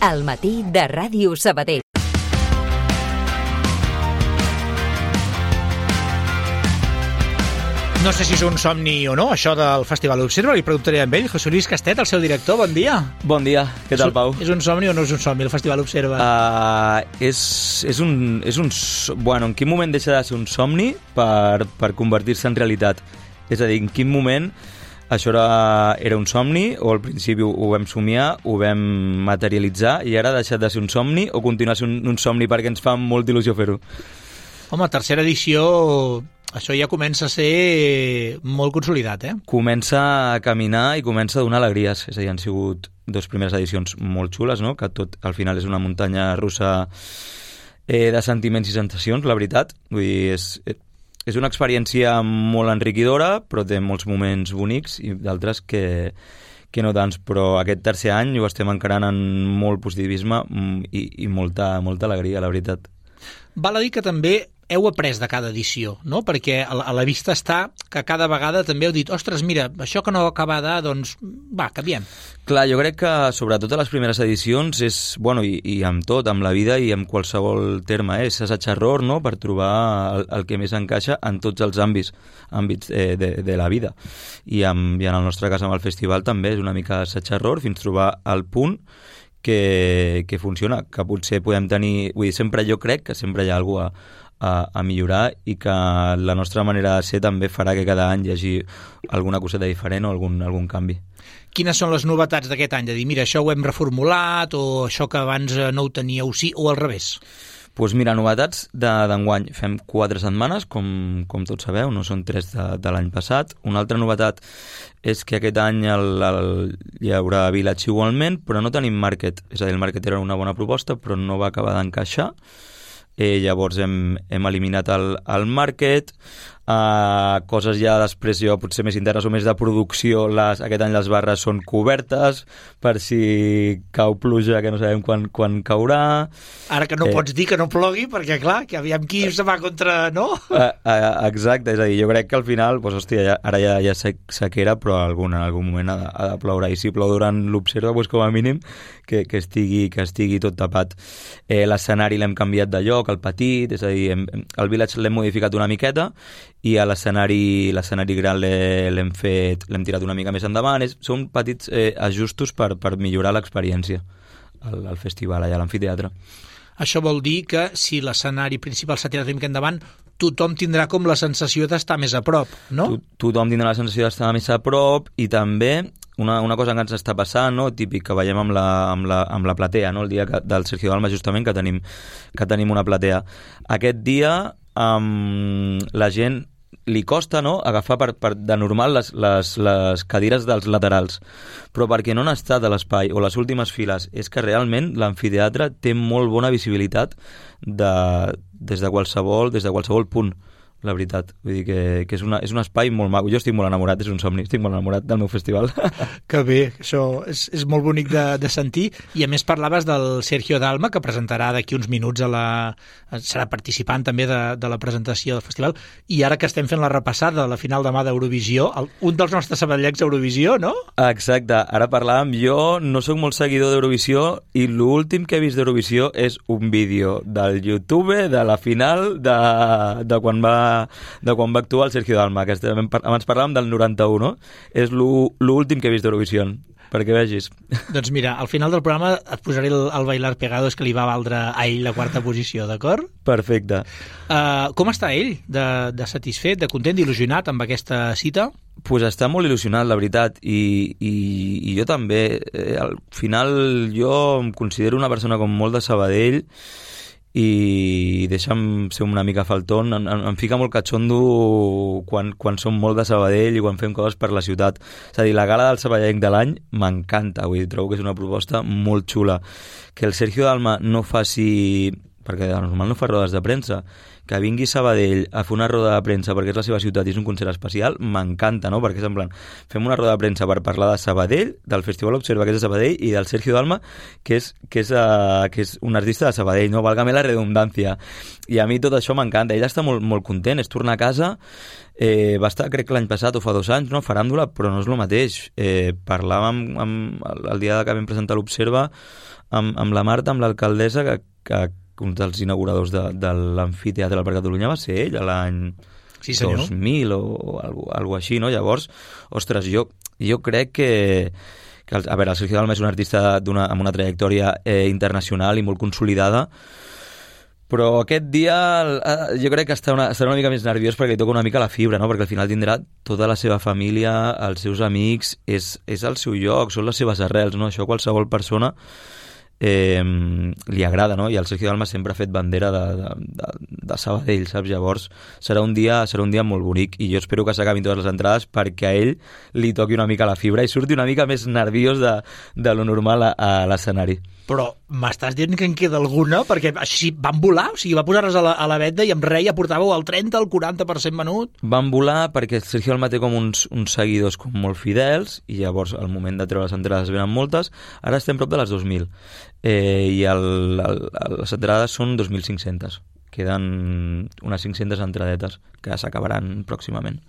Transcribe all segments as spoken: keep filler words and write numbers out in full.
Al matí de Ràdio Sabadell. No sé si és un somni o no, això del Festival Observa, li preguntaré amb ell. José Luis Castet, el seu director, bon dia. Bon dia, què tal, Pau? És un somni o no és un somni, el Festival Observa? Uh, és, és un... És un bueno, en quin moment deixa de ser un somni per, per convertir-se en realitat? És a dir, en quin moment això era, era un somni o al principi ho, ho vam somiar, ho vam materialitzar i ara ha deixat de ser un somni o continua sent un, un somni perquè ens fa molta il·lusió fer-ho? Home, tercera edició... Això ja comença a ser molt consolidat, eh? Comença a caminar i comença a donar alegries. És a dir, han sigut dues primeres edicions molt xules, no? Que tot al final és una muntanya russa eh, de sentiments i sensacions, la veritat. Vull dir, és, és una experiència molt enriquidora, però té molts moments bonics i d'altres que, que no tants. Però aquest tercer any ho estem encarant en molt positivisme i, i molta, molta alegria, la veritat. Val a dir que també heu après de cada edició, no? Perquè a la, a la vista està que cada vegada també heu dit ostres, mira, això que no acaba de, doncs, va, canviem. Clar, jo crec que sobretot a les primeres edicions és, bueno, i, i amb tot, amb la vida i amb qualsevol terme, eh? És assaig-error, no?, per trobar el, el que més encaixa en tots els àmbits, àmbits eh, de, de la vida. I, amb, I en el nostre cas amb el festival també és una mica assaig-error fins trobar el punt que, que funciona, que potser podem tenir... Vull dir, sempre jo crec que sempre hi ha alguna cosa a, a, a millorar i que la nostra manera de ser també farà que cada any hi hagi alguna coseta diferent o algun, algun canvi. Quines són les novetats d'aquest any? De dir, mira, això ho hem reformulat o això que abans no ho teníeu sí o al revés? Doncs pues mira, novetats d'enguany. Fem quatre setmanes, com, com tots sabeu, no són tres de, de l'any passat. Una altra novetat és que aquest any el, el, hi haurà Village igualment, però no tenim Market. És a dir, el Market era una bona proposta, però no va acabar d'encaixar. Eh, llavors hem, hem eliminat el, el Market. Uh, coses ja després jo potser més internes o més de producció, les, aquest any les barres són cobertes per si cau pluja que no sabem quan, quan caurà. Ara que no eh, pots dir que no plogui perquè clar, que aviam qui se va contra, no? Uh, uh, exacte, és a dir, jo crec que al final doncs, hòstia, ja, ara ja, ja sequera però algun, en algun moment ha de, ha de ploure i si plou durant l'observa doncs, com a mínim que, que, estigui, que estigui tot tapat. Eh, l'escenari l'hem canviat de lloc, el petit, és a dir, hem, el Village l'hem modificat una miqueta i a l'escenari l'escenari gran l'hem fet l'hem tirat una mica més endavant. És, són petits eh, ajustos per, per millorar l'experiència al, al festival, allà a l'amfiteatre. Això vol dir que si l'escenari principal s'ha tirat una mica endavant, tothom tindrà com la sensació d'estar més a prop, no? To, tothom tindrà la sensació d'estar més a prop i també una, una cosa que ens està passant, no? Típic que veiem amb la, amb la, amb la platea, no? El dia que, del Sergio Dalma justament que tenim, que tenim una platea. Aquest dia um, la gent li costa, no?, agafar per, per, de normal les, les, les cadires dels laterals, però perquè no han estat a l'espai o les últimes files, és que realment l'amfiteatre té molt bona visibilitat de, des de qualsevol des de qualsevol punt, la veritat. Vull dir que, que és, una, és un espai molt maco. Jo estic molt enamorat, és un somni, estic molt enamorat del meu festival. Que bé, això és, és molt bonic de, de sentir. I a més parlaves del Sergio Dalma, que presentarà d'aquí uns minuts a la... serà participant també de, de la presentació del festival. I ara que estem fent la repassada de la final demà d'Eurovisió, el, un dels nostres sabadellencs d'Eurovisió, no? Exacte, ara parlàvem, jo no sóc molt seguidor d'Eurovisió i l'últim que he vist d'Eurovisió és un vídeo del YouTube de la final de, de quan va de quan va actuar el Sergio Dalma, que abans parlàvem del noranta-u, no? És l'últim que he vist d'Eurovisió, perquè vegis. Doncs mira, al final del programa et posaré el, el Bailar Pegados que li va valdre a ell la quarta posició, d'acord? Perfecte. Uh, com està ell? De, de satisfet, de content, d'il·lusionat amb aquesta cita? Pues està molt il·lusionat, la veritat, i, i, i jo també. Eh, al final jo em considero una persona com molt de Sabadell i deixa'm ser una mica faltón, em, em fica molt catxondo quan, quan som molt de Sabadell i quan fem coses per la ciutat. És a dir, la gala del sabadellenc de l'any m'encanta, vull dir, trobo que és una proposta molt xula. Que el Sergio Dalma no faci perquè de normal no fa rodes de premsa, que vingui Sabadell a fer una roda de premsa perquè és la seva ciutat i és un concert especial, m'encanta, no? Perquè és en plan, fem una roda de premsa per parlar de Sabadell, del Festival Observa, que és de Sabadell, i del Sergio Dalma, que és, que és, uh, que és un artista de Sabadell, no? Válgame la redundància. I a mi tot això m'encanta. Ell està molt, molt content, és tornar a casa, eh, va estar, crec que l'any passat o fa dos anys, no? Faràndula, però no és el mateix. Eh, parlàvem amb, amb, el dia que vam presentar l'Observa amb, amb la Marta, amb l'alcaldessa, que, que un dels inauguradors de, de l'Amfiteatre per Catalunya va ser ell, l'any sí, dos mil o, o algo, algo així, no? Llavors, ostres, jo, jo crec que, que el, a veure, el Sergio Dalma és un artista d'una, amb una trajectòria eh, internacional i molt consolidada, però aquest dia eh, jo crec que està una, estarà una mica més nerviós perquè li toca una mica la fibra, no? Perquè al final tindrà tota la seva família, els seus amics, és, és el seu lloc, són les seves arrels, no? Això qualsevol persona Eh, li agrada, no? I el Sergio Dalma sempre ha fet bandera de, de, de, de Sabadell, saps? Llavors serà un dia serà un dia molt bonic i jo espero que s'acabin totes les entrades perquè a ell li toqui una mica la fibra i surti una mica més nerviós de, de lo normal a, a l'escenari. Però m'estàs dient que en queda alguna? Perquè així van volar, o sigui, va posar-nos a la, a la venda i amb rei ja portàveu el trenta, el quaranta per cent venut. Van volar perquè el Sergio Dalma té com uns, uns seguidors com molt fidels i llavors al moment de treure les entrades venen moltes. Ara estem prop de les dos mil eh, i el, el, les entrades són dos mil cinc-centes. Queden unes cinc-centes entradetes que s'acabaran pròximament.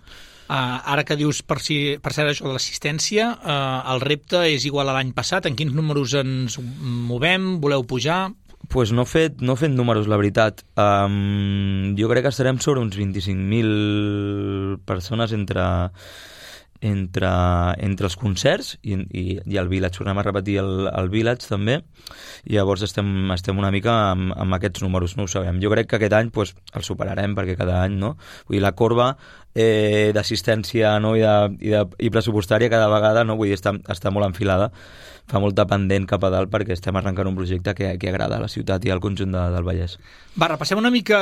Uh, ara que dius per, si, per cert això de l'assistència, uh, el repte és igual a l'any passat. En quins números ens movem? Voleu pujar? Pues no he fet, no he fet números, la veritat. Um, jo crec que estarem sobre uns vint-i-cinc mil persones entre, entre, entre els concerts i, i, i el Village. Tornem a repetir el, el Village també i llavors estem, estem una mica amb, amb aquests números, no ho sabem. Jo crec que aquest any pues, el superarem perquè cada any, no? Vull dir, la corba eh, d'assistència, no? I, de, i, de, i pressupostària cada vegada, no? Vull dir, està, està molt enfilada, fa molta pendent cap a dalt perquè estem arrencant un projecte que, que agrada a la ciutat i al conjunt de, del Vallès. Va, repassem una mica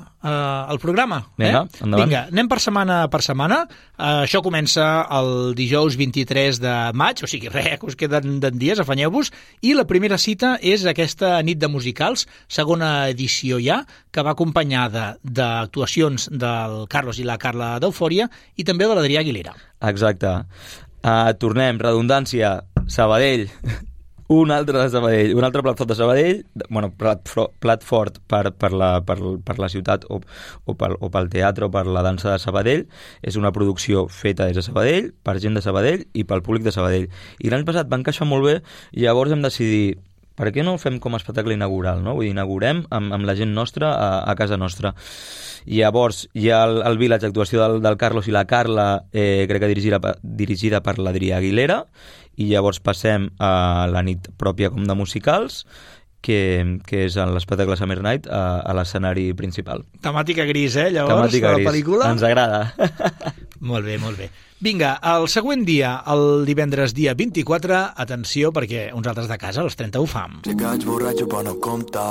uh, el programa. Vinga, eh? endavant. Vinga, anem per setmana per setmana. Uh, això comença el dijous vint-i-tres de maig, o sigui, res, que us queden dies, afanyeu-vos, i la primera cita és aquesta nit de musicals, segona edició ja, que va acompanyada d'actuacions del Carlos i la Carla d'Eufòria i també de l'Adrià Aguilera. Exacte. Uh, tornem, redundància, Sabadell, un altre de Sabadell, un altre plat fort de Sabadell, bueno, plat, plat fort per, per, la, per, per la ciutat o, o, pel, o pel teatre o per la dansa de Sabadell. És una producció feta des de Sabadell, per gent de Sabadell i pel públic de Sabadell. I l'any passat va encaixar molt bé i llavors hem decidit per què no ho fem com a espectacle inaugural, no? Vull dir, inaugurem amb, amb la gent nostra a, a casa nostra. I llavors hi ha el, el Village, actuació del, del Carlos i la Carla, eh, crec que dirigida, dirigida per l'Adrià Aguilera, i llavors passem a la nit pròpia com de musicals, que, que és l'espectacle Summer Night a, a l'escenari principal. Temàtica gris, eh, llavors, Temàtica de la gris. pel·lícula? Ens agrada. Molt bé, molt bé. Vinga, el següent dia, el divendres dia vint-i-quatre, atenció, perquè uns altres de casa, els trenta ho fam. Sé que vaig borratxo però no compta,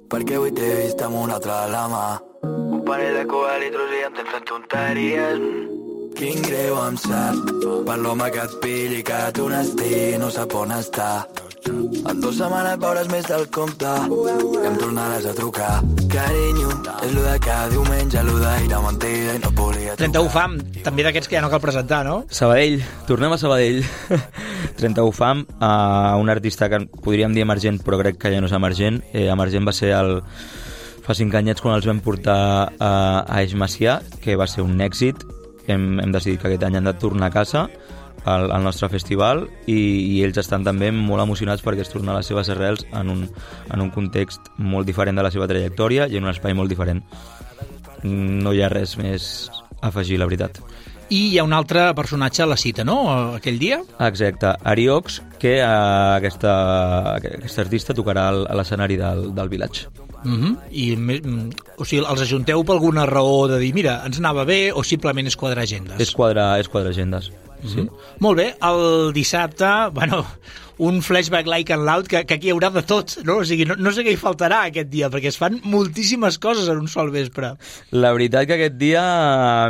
perquè avui t'he vist amb un altre a la mà. Un parell de Cuba litros i em tens fent tonteries. Quin greu em sap, per l'home que et pilli, que tu n'estigui, no sap on està. En dues setmanes veuràs més del compte i em tornaràs a trucar. Carinyo, és lo de cada diumenge, lo d'ahir mentida i no volia trucar. trenta u fam, també d'aquests que ja no cal presentar, no? Sabadell, tornem a Sabadell. trenta u fam, uh, un artista que podríem dir emergent, però crec que ja no és emergent. Eh, emergent va ser el... fa cinc anyets quan els vam portar a, a Eix Macià, que va ser un èxit. Hem, hem decidit que aquest any han de tornar a casa al, al nostre festival i, i ells estan també molt emocionats perquè es torna a les seves arrels en un, en un context molt diferent de la seva trajectòria i en un espai molt diferent. No hi ha res més a afegir, la veritat. I hi ha un altre personatge a la cita, no?, aquell dia? Exacte, Ariox, que uh, aquesta, aquesta artista tocarà a l'escenari del, del Village. Uh-huh. I, o sigui, els ajunteu per alguna raó de dir, mira, ens anava bé, o simplement és quadrar agendes? És quadrar, és quadrar agendes, sí. Uh-huh. Molt bé, el dissabte, bueno, un flashback like and loud, que, que aquí hi haurà de tot, no? O sigui, no, no sé què hi faltarà aquest dia, perquè es fan moltíssimes coses en un sol vespre. La veritat que aquest dia,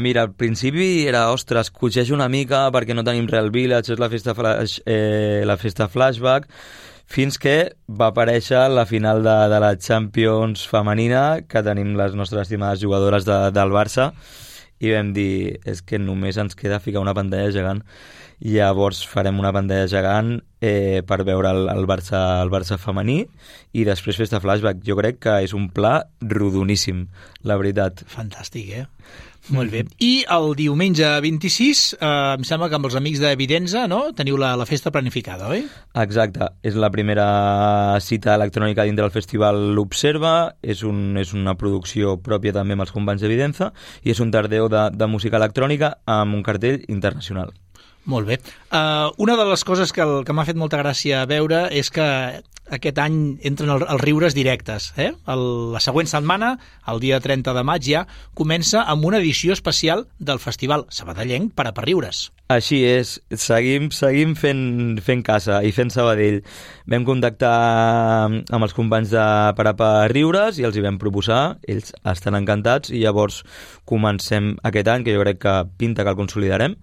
mira, al principi era, ostres, cotxeja una mica perquè no tenim Real Village, és la festa, flash, eh, la festa flashback. fins que va aparèixer la final de, de la Champions femenina, que tenim les nostres estimades jugadores de, del Barça, i vam dir, és que només ens queda ficar una pantalla gegant. Llavors farem una pantalla gegant eh, per veure el, el, Barça, el Barça femení i després fer-te flashback. Jo crec que és un pla rodoníssim, la veritat. Fantàstic, eh? Molt bé. I el diumenge vint-i-sis, eh, em sembla que amb els amics d'Evidenza, no?, teniu la, la festa planificada, oi? Exacte. És la primera cita electrònica dintre del festival L'Observa. És, un, és una producció pròpia també amb els companys d'Evidenza i és un tardeu de, de música electrònica amb un cartell internacional. Molt bé. Uh, una de les coses que, el, que m'ha fet molta gràcia veure és que aquest any entren el, els riures directes. Eh? El, la següent setmana, el dia trenta de maig ja, comença amb una edició especial del Festival Sabadellenc per a per riures. Així és, seguim, seguim fent, fent casa i fent Sabadell. Vam contactar amb els companys de Parapa Riures i els hi vam proposar, ells estan encantats i llavors comencem aquest any, que jo crec que pinta que el consolidarem,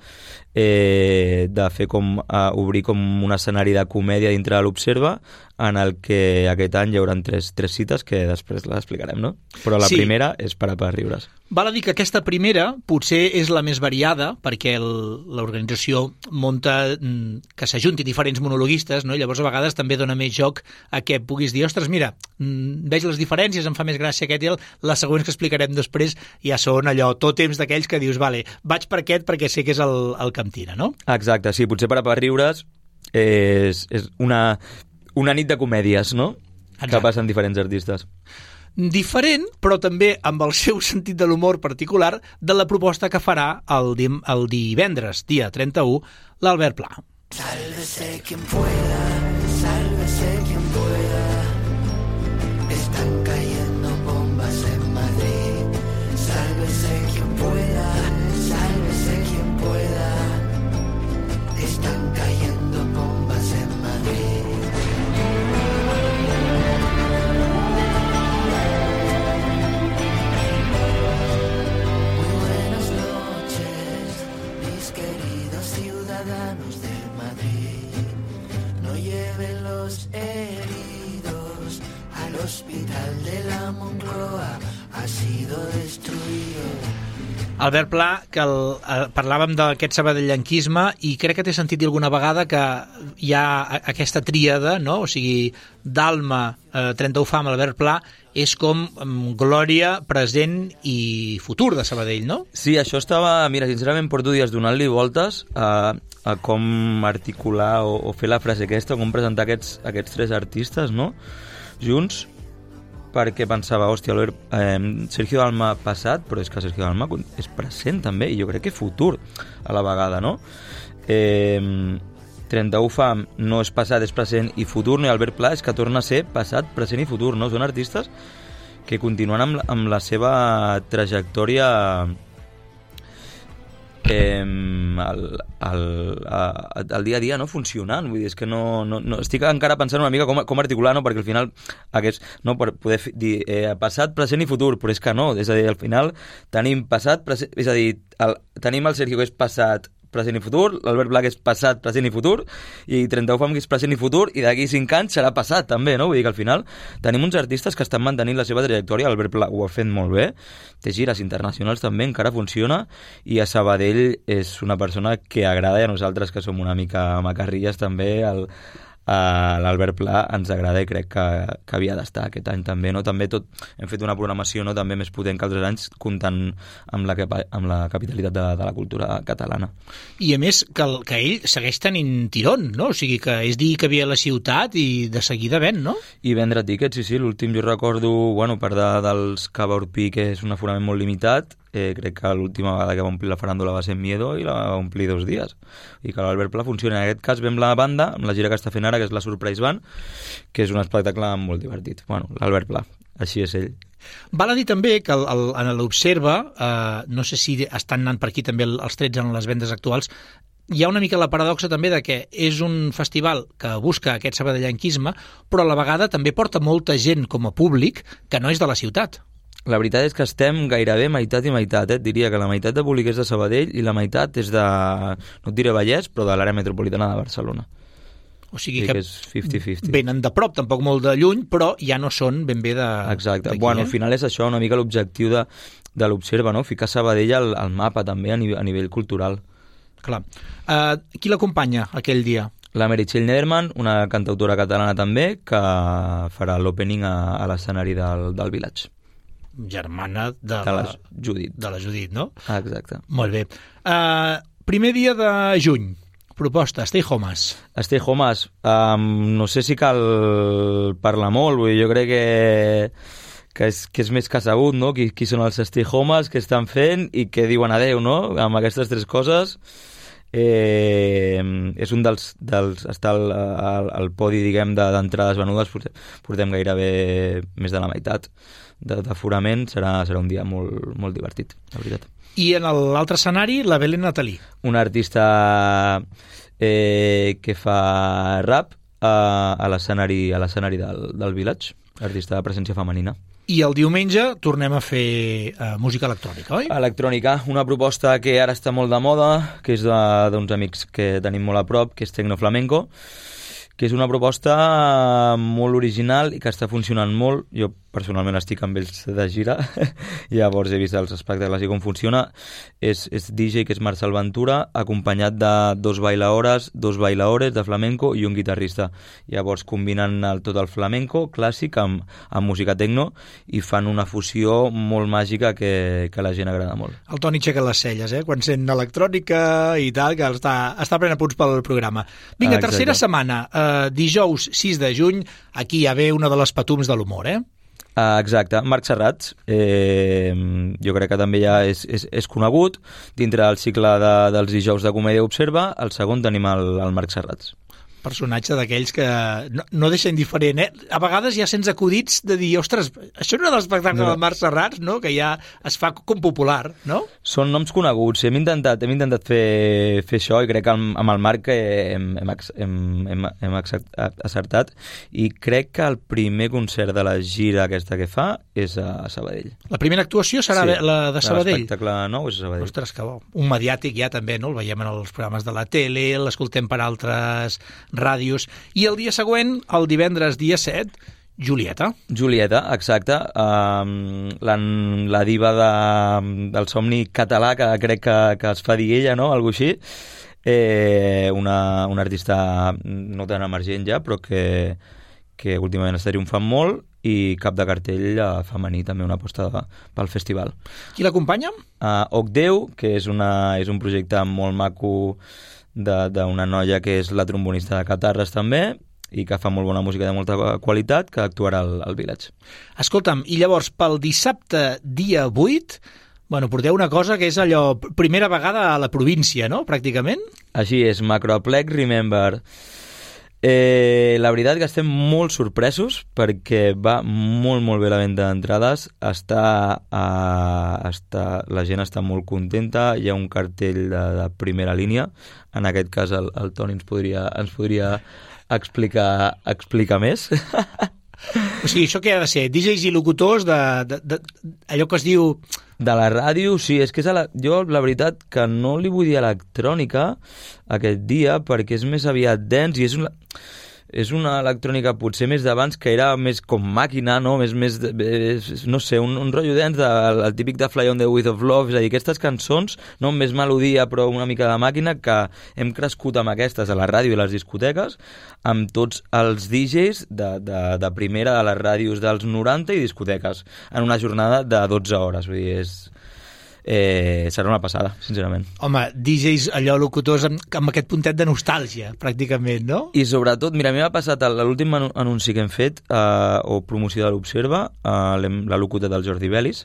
eh, de fer com, eh, obrir com un escenari de comèdia dintre de l'Observa, en el que aquest any hi haurà tres, tres cites que després les explicarem, no? Però la sí. primera és Parapa Riures. Val a dir que aquesta primera potser és la més variada perquè l'organització monta que s'ajunti diferents monologuistes, no? I llavors a vegades també dona més joc a que puguis dir, ostres, mira, veig les diferències, em fa més gràcia aquest i el, les següents que explicarem després ja són allò, tot temps d'aquells que dius, vale, vaig per aquest perquè sé que és el, el que em tira, no? Exacte, sí, potser Parapa Riures és, és una, una nit de comèdies, no? Exacte. Que passen diferents artistes. Diferent, però també amb el seu sentit de l'humor particular de la proposta que farà el, dim, el divendres, dia trenta-u, l'Albert Pla. Sálvese quien pueda, sálvese quien pueda. Están cayendo bombas en Madrid. Sálvese quien pueda, sálvese quien pueda. Están cayendo bombas en Madrid. Ciudadanos de Madrid, no lleven los heridos al hospital de la Moncloa, ha sido destruido. Albert Pla, que el, eh, parlàvem d'aquest sabadellenquisme i crec que t'he sentit dir alguna vegada que hi ha aquesta tríada, no? O sigui, Dalma, eh, trenta-u Fam, Albert Pla, és com um, glòria, present i futur de Sabadell, no? Sí, això estava... Mira, sincerament porto dies donant-li voltes a, a com articular o, o fer la frase aquesta, com presentar aquests, aquests tres artistes, no?, junts, perquè pensava, hòstia, eh, Sergio Dalma passat, però és que Sergio Dalma és present també, i jo crec que futur a la vegada, no? Eh, trenta-u Fam no és passat, és present i futur, no? I Albert Pla és que torna a ser passat, present i futur, no? Són artistes que continuen amb, amb la seva trajectòria eh, al, al, al dia a dia, no? Funcionant. Vull dir, és que no, no, no... estic encara pensant una mica com, com articular, no? Perquè al final aquest, no? Per poder dir eh, passat, present i futur, però és que no, és a dir, al final tenim passat, present, és a dir, el, tenim el Sergio que és passat, present i futur, l'Albert Pla que és passat, present i futur, i trenta-u Fam que és present i futur, i d'aquí cinc anys serà passat també, no? Vull dir que al final tenim uns artistes que estan mantenint la seva trajectòria, l'Albert Pla ho ha fet molt bé, té gires internacionals també, encara funciona, i a Sabadell és una persona que agrada, i a nosaltres que som una mica macarrilles també, el, a l'Albert Pla ens agrada i crec que, que havia d'estar aquest any també, no? També tot, hem fet una programació, no?, també més potent que altres anys, comptant amb la, amb la capitalitat de, de la cultura catalana. I a més que, el, que ell segueix tenint tirón, no? O sigui que és dir que havia a la ciutat i de seguida ven, no? I vendre tíquets, sí, sí, l'últim jo recordo, bueno, per de, dels Cava Urpí, que és un aforament molt limitat, Eh, crec que l'última vegada que va omplir la faràndula va ser en Miedo i la va omplir dos dies, i que l'Albert Pla funciona. En aquest cas vam la banda amb la gira que està fent ara, que és la Surprise Band, que és un espectacle molt divertit. Bueno, l'Albert Pla, així és ell. Val a dir també que el, el, en l'Observa, eh, no sé si estan anant per aquí també els trets en les vendes actuals, hi ha una mica la paradoxa també de que és un festival que busca aquest sabadellenquisme, però a la vegada també porta molta gent com a públic que no és de la ciutat. La veritat és que estem gairebé meitat i meitat, eh? Et diria que la meitat de públic és de Sabadell i la meitat és de, no et diré Vallès, però de l'àrea metropolitana de Barcelona. O sigui sí, que, que és cinquanta cinquanta. Venen de prop, tampoc molt de lluny, però ja no són ben bé de... Exacte. Bueno, eh? al final és això, una mica l'objectiu de, de l'Observa, no? Ficar Sabadell al, al mapa també a nivell, a nivell cultural. Clar. Uh, qui l'acompanya aquell dia? La Meritxell Nederman, una cantautora catalana també, que farà l'opening a, a l'escenari del, del Village. Germana de, De la la, Judit. de la Judit, no? Ah, exacte. Molt bé. Uh, primer dia de juny. Proposta, Stay Homes. Stay Homes, um, no sé si cal parlar molt, vull dir, jo crec que, que, és, que és més que sabut, no? Qui, qui són els Stay Homes, què estan fent i què diuen adeu, no? Amb aquestes tres coses, eh, és un dels... dels està al, al, al podi, diguem, d'entrades venudes, portem, portem gairebé més de la meitat d'aforament, serà, serà un dia molt, molt divertit, la veritat. I en l'altre escenari, la Belén Natalí. Una artista eh, que fa rap a, a l'escenari a l'escenari del, del Village, artista de presència femenina. I el diumenge tornem a fer uh, música electrònica, oi? Electrònica, una proposta que ara està molt de moda, que és d'uns amics que tenim molt a prop, que és Tecno Flamenco, que és una proposta molt original i que està funcionant molt. Jo personalment estic amb ells de gira, llavors he vist els espectacles i com funciona. És, és D J, que és Marcel Ventura, acompanyat de dos bailaores, dos bailaores de flamenco i un guitarrista. Llavors combinen el, tot el flamenco clàssic amb, amb música tecno i fan una fusió molt màgica que, que a la gent agrada molt. El Toni aixeca les celles, eh? Quan sent electrònica i tal, que està, està prenent punts pel programa. Vinga, ah, tercera setmana, eh, dijous sis de juny, aquí ja ve una de les patums de l'humor, eh? Uh, exacte, Marc Serrats, eh, jo crec que també ja és, és, és conegut. Dintre del cicle de, dels dijous de Comèdia Observa, el segon tenim el, el Marc Serrats. Personatge d'aquells que no, no deixa indiferent, eh? A vegades ja sents acudits de dir, ostres, això no era l'espectacle no. del Marc Serrats, no? Que ja es fa com popular, no? Són noms coneguts. Hem intentat, hem intentat fer, fer això i crec que amb, amb el Marc hem, hem, hem, hem, hem acertat i crec que el primer concert de la gira aquesta que fa és a Sabadell. La primera actuació serà sí, la de Sabadell? L'espectacle nou és a Sabadell. Ostres, que bo. Un mediàtic ja també, no? El veiem en els programes de la tele, l'escoltem per altres ràdios. I el dia següent, el divendres dia set, Julieta. Julieta, exacte. Um, la, la diva de, del somni català, que crec que, que es fa dir ella, no? Algo així. Eh, una, una artista no tan emergent ja, però que, que últimament està triomfant molt i cap de cartell femení, també una aposta de, pel festival. Qui l'acompanya? Uh, Ocdeu, que és, una, és un projecte molt maco d'una noia que és la trombonista de Catarres també i que fa molt bona música de molta qualitat, que actuarà al, al Village. Escolta'm, i llavors pel dissabte dia vuit, bueno, porteu una cosa que és allò, primera vegada a la província, no?, pràcticament? Així és, Macroplex Remember. Eh, la veritat que estem molt sorpresos perquè va molt molt bé la venda d'entrades, està, uh, està, la gent està molt contenta, hi ha un cartell de, de primera línia, en aquest cas el, el Toni ens podria, ens podria explicar, explicar més. O sigui, això què ha de ser? D Js i locutors de, de, de allò que es diu... De la ràdio, sí, és que és la, jo la veritat que no li vull dir electrònica aquest dia perquè és més aviat dance i és una, és una electrònica potser més d'abans que era més com màquina, no? Més, més, més no sé, un, un rotllo dance, de, el, el típic de Fly on the Wings of Love, és a dir, aquestes cançons, no més melodia però una mica de màquina, que hem crescut amb aquestes a la ràdio i les discoteques, amb tots els D Js de, de, de primera de les ràdios dels noranta i discoteques, en una jornada de dotze hores, vull dir, és... Eh, serà una passada, sincerament. Home, D Js allò locutors amb, amb aquest puntet de nostàlgia, pràcticament, no? I sobretot, mira, a mi m'ha passat l'últim anunci que hem fet, eh, o promoció de l'Observa, eh, la locuta del Jordi Belis,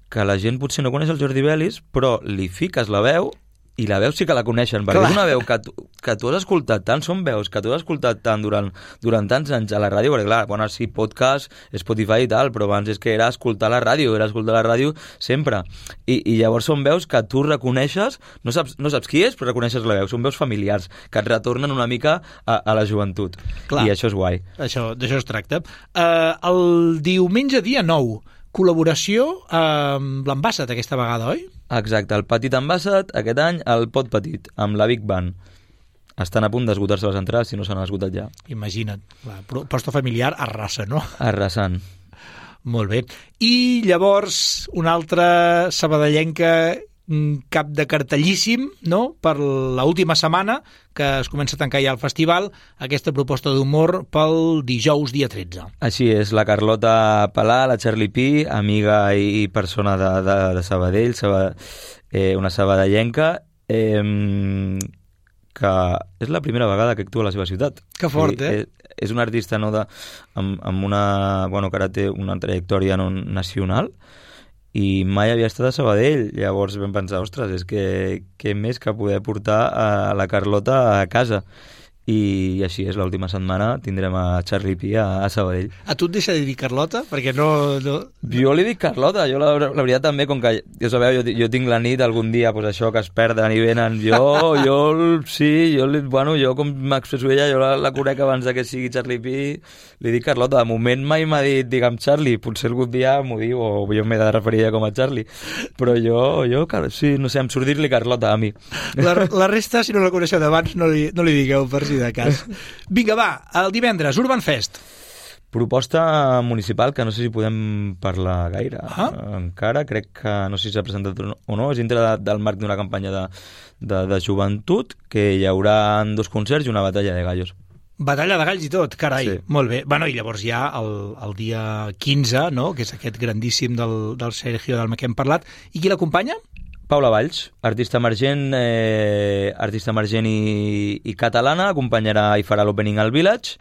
que la gent potser no coneix el Jordi Belis, però li fiques la veu i la veu sí que la coneixen, perquè Clar. És una veu que tu, que tu has escoltat tant, són veus que tu has escoltat tant durant, durant tants anys a la ràdio, perquè clar, bueno, sí, podcast, Spotify i tal, però abans és que era escoltar la ràdio, era escoltar la ràdio sempre. I, i llavors són veus que tu reconeixes, no saps, no saps qui és, però reconeixes la veu, són veus familiars, que et retornen una mica a, a la joventut. Clar. I això és guai. Això, d'això es tracta. Uh, el diumenge dia nou, col·laboració amb l'Ambassat aquesta vegada, oi? Exacte, el Petit Ambassat, aquest any, el Pot Petit, amb la Big Band. estan a punt d'esgotar-se les entrades si no s'han esgotat ja. Imagina't, la proposta familiar arrasa, no? Arrasant. Molt bé. I llavors una altra sabadellenca cap de cartellíssim, no?, per l'última setmana, que es comença a tancar ja el festival, aquesta proposta d'humor pel dijous dia tretze. Així és, la Carlota Palà, la Charlie Pi, amiga i persona de, de, de Sabadell, Sabadell eh, una sabadellenca, eh, que és la primera vegada que actua a la seva ciutat. Que fort, eh? És, és un artista no, de, amb, amb una... Bueno, que ara té una trajectòria no, nacional, i mai havia estat a Sabadell. Llavors vam pensar, ostres, és que què més que poder portar a la Carlota a casa. I així és, l'última setmana tindrem a Charlie Pi a, a Sabadell. A tu et deixa de dir Carlota? Perquè no... no... Jo li dic Carlota, jo la, la veritat també, com que ja sabeu, jo, jo tinc la nit algun dia, pues això, que es perden i venen, jo, jo sí, jo, li, bueno, jo com m'expresso ella, jo la, la conec abans de que sigui Charlie Pi, li dic Carlota. De moment mai m'ha dit, digue'm Charlie, potser algun dia m'ho diu, o jo m'he de referir a com a Charlie, però jo, jo, sí, no sé, em surt dir-li Carlota a mi. La, la resta, si no la coneixeu d'abans, no, li, no li digueu per si de cas. Vinga, va, el divendres, Urban Fest. Proposta municipal que no sé si podem parlar gaire. Ah? Encara crec que no sé si s'ha presentat o no, és dintre de, del marc d'una campanya de, de, de joventut, que hi haurà dos concerts i una batalla de gallos. Batalla de galls i tot, carai, sí. Molt bé. Bueno, i llavors hi ha el, el dia quinze, no?, que és aquest grandíssim del, del Sergio Dalma que hem parlat. I qui l'acompanya? Paula Valls, artista emergent, eh, artista emergent i, i catalana, acompanyarà i farà l'opening al Village,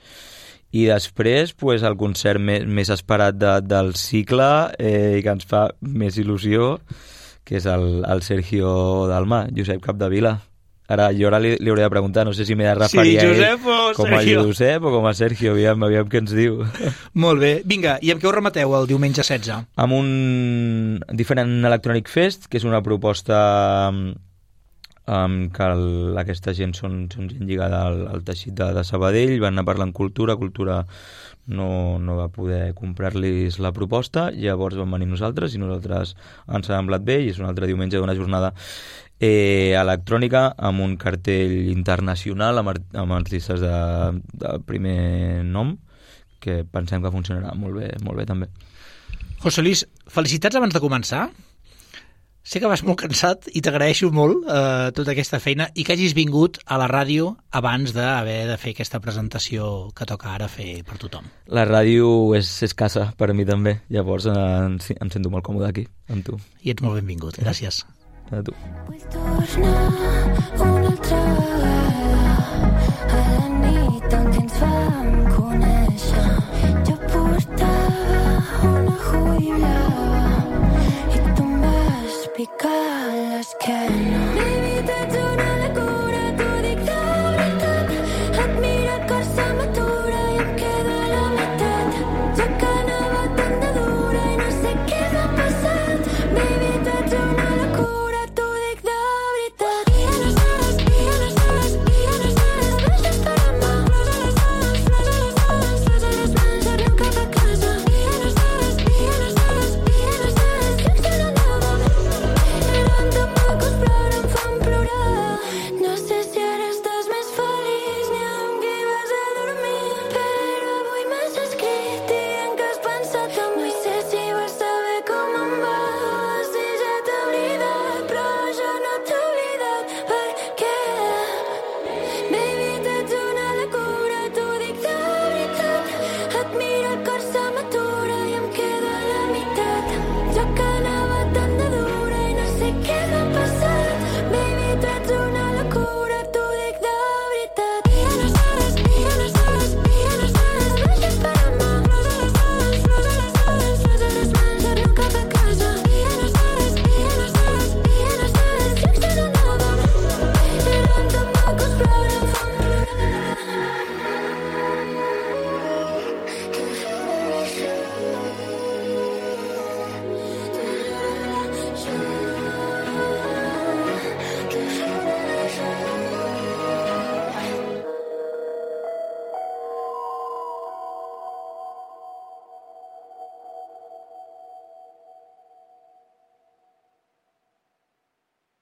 i després pues, el concert més, més esperat de, del cicle eh, i que ens fa més il·lusió, que és el, el Sergio Dalma, Josep Capdevila. Ara, jo ara li, li hauré de preguntar, no sé si m'he de referir sí, Josep a ell com Sergio. a Josep o com a Sergio, aviam, aviam què ens diu. Molt bé, vinga, i amb què ho remeteu el diumenge setze? Amb un Different Electronic Fest, que és una proposta um, que el, aquesta gent són, són gent lligada al, al teixit de, de Sabadell, van anar parlant cultura, cultura no, no va poder comprar-los la proposta, llavors vam venir nosaltres i nosaltres ens ha semblat bé i és un altre diumenge d'una jornada Eh, electrònica amb un cartell internacional amb, art amb artistes de, de primer nom que pensem que funcionarà molt bé, molt bé també. José Luis, felicitats abans de començar. Sé que vas molt cansat i t'agraeixo molt eh, tota aquesta feina i que hagis vingut a la ràdio abans d'haver de fer aquesta presentació que toca ara fer per tothom. La ràdio és, és casa per a mi també, llavors eh, em, em sento molt còmode aquí amb tu. I ets molt benvingut, gràcies. A tu. Vull tornar una altra vegada